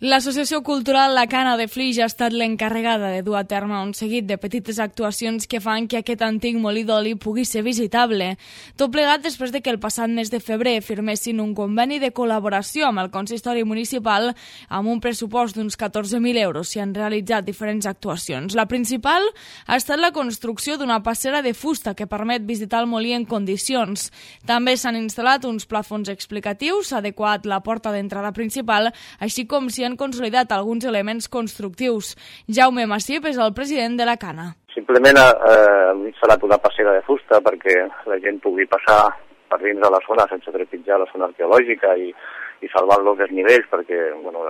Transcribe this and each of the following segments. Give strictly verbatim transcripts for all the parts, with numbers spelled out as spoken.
L'Associació Cultural La Cana de Flix ha estat l'encarregada de dur a terme un seguit de petites actuacions que fan que aquest antic molí d'oli pugui ser visitable. Tot plegat després de que el passat mes de febrer firmessin un conveni de col·laboració amb el consistori municipal amb un pressupost d'uns catorze mil euros. S'hi han realitzat diferents actuacions. La principal ha estat la construcció d'una passera de fusta que permet visitar el molí en condicions. També s'han instal·lat uns plafons explicatius, s'ha adequat la porta d'entrada principal, així com s'hi han consolidat alguns elements constructius. Jaume Massip és el president de la Cana. Simplement eh, hem instal·lat una passera de fusta perquè la gent pugui passar per dins de la zona sense trepitjar la zona arqueològica i, i salvar los desnivells, perquè bueno,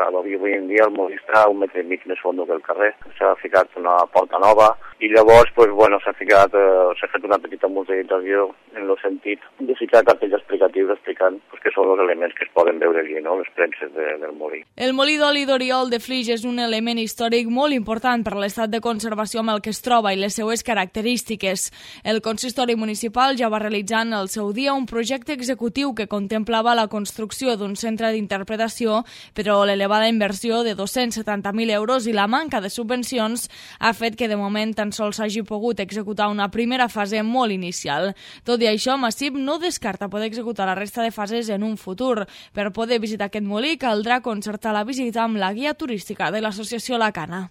avui en dia el molí està un metre i mig més fondo que el carrer. S'ha ficat una porta nova i llavors pues, bueno, s'ha ficat, eh, s'ha fet una petita museïtzació en el sentit de ficar cartells explicatius explicant pues, què són els elements que es poden veure allí, no? Les premses de, del molí. El molí d'oli d'Oriol de Flix és un element històric molt important per l'estat de conservació amb el que es troba i les seues característiques. El consistori municipal ja va realitzar en el seu dia un projecte executiu que contemplava la construcció d'un centre d'interpretació, però l'elevada inversió de dos-cents setanta mil euros i la manca de subvencions ha fet que de moment tan sols s'hagi pogut executar una primera fase molt inicial. Tot i això, Massip no descarta poder executar la resta de fases en un futur. Per poder visitar aquest molí caldrà concertar la visita amb la guia turística de l'associació La Cana.